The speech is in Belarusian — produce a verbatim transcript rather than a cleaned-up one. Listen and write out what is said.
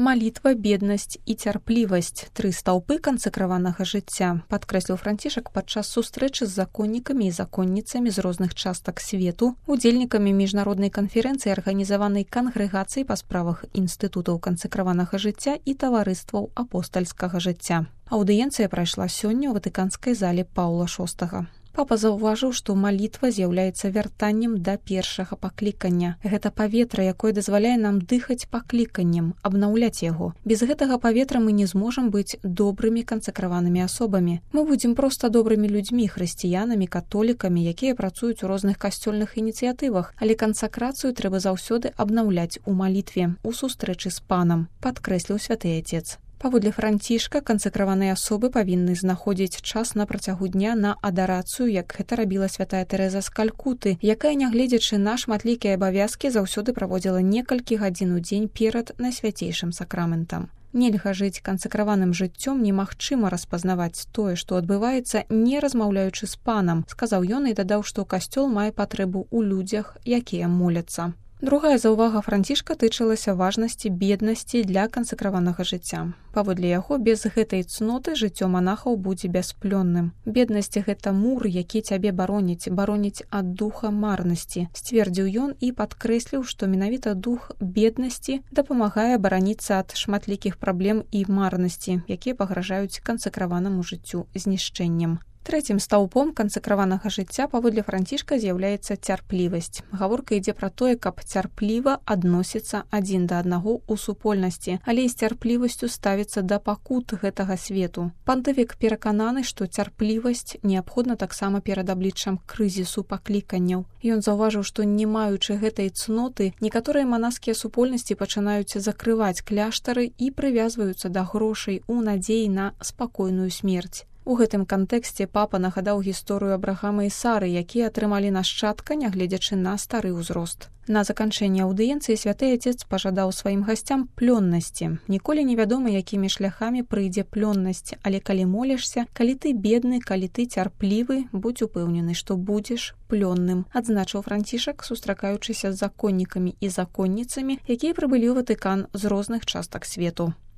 Малітва, беднасць і цярплівасць – тры стаўпы кансакраванага жыцця, падкрэсліў Францішак падчас сустрэчы з законнікамі і законніцамі з розных частак свету, удзельнікамі міжнароднай канферэнцыі, арганізаванай кангрэгацыяй па справах інстытутаў кансакраванага жыцця і таварыстваў апостальскага жыцця. Аўдыенцыя прайшла сёння ў ватыканскай зале Паўла шостага. Папа заўважыў, што малітва з'яўляецца вяртаннем да першага паклікання. Гэта паветра, якое дазваляе нам дыхаць пакліканнем, абнаўляць яго. Без гэтага паветра мы не зможам быць добрымі кансакраванымі асобамі. Мы будзем проста добрымі людзьмі, хрысціянамі, католікамі, якія працуюць у розных касцёльных ініцыятывах, але кансакрацыю трэба заўсёды абнаўляць у малітве, у сустрэчы з панам, падкрэсліў святы Отец. Паводле Францішка, кансакраваныя асобы павінны знаходзіць час на працягу дня на адарацыю, як гэта рабіла святая Тэрэза з Калькуты, якая, нягледзячы на шматлікія абавязкі, заўсёды праводзіла некалькі гадзін у дзень перад найсвяцейшым сакраментам. Нельга жыць кансакраваным жыццём, немагчыма распазнаваць тое, што адбываецца, не размаўляючы з панам, сказаў ён і дадаў, што касцёл мае патрэбу ў людзях, якія моляцца. Другая заўвага Францішка тычылася важнасці беднасці для кансакраванага жыцця. Паводле яго, без гэтай цноты жыццё манахаў будзе бясплённым. Беднасць – гэта мур, які цябе бароніць, бароніць ад духа марнасці, сцвердзіў ён і падкрэсліў, што менавіта дух беднасці дапамагае бараніцца ад шматлікіх праблем і марнасці, якія пагражаюць кансакраванаму жыццю знішчэннем. Трэцім стаўпом кансакраванага жыцця паводле Францішка з'яўляецца цярплівасць. Гаворка ідзе пра тое, каб цярпліва адносіцца адзін да аднаго ў супольнасці, але і з цярплівасцю ставіцца да пакут гэтага свету. Пантыфік перакананы, што цярплівасць неабходна таксама перад абліччам крызісу пакліканняў. Ён заўважыў, што не маючы гэтай цноты, некаторыя манаскія супольнасці пачынаюць закрываць кляштары і прывязваюцца да грошай у надзеі на спакойную смерць. У гэтым кантэксце папа нагадаў гісторыю Абрахама і Сары, якія атрымалі нашчадка, нягледзячы на стары ўзрост. На заканчэнне аўдыенцыі святы Отец пажадаў сваім гасцям плённасці. Ніколі невядома, якімі шляхамі прыйдзе плённасць, але калі молішся, калі ты бедны, калі ты цярплівы, будзь упэўнены, што будзеш плённым, адзначыў Францішак, сустракаючыся з законнікамі і законніцамі, якія прыбылі ў Ватыкан з розных частак свету.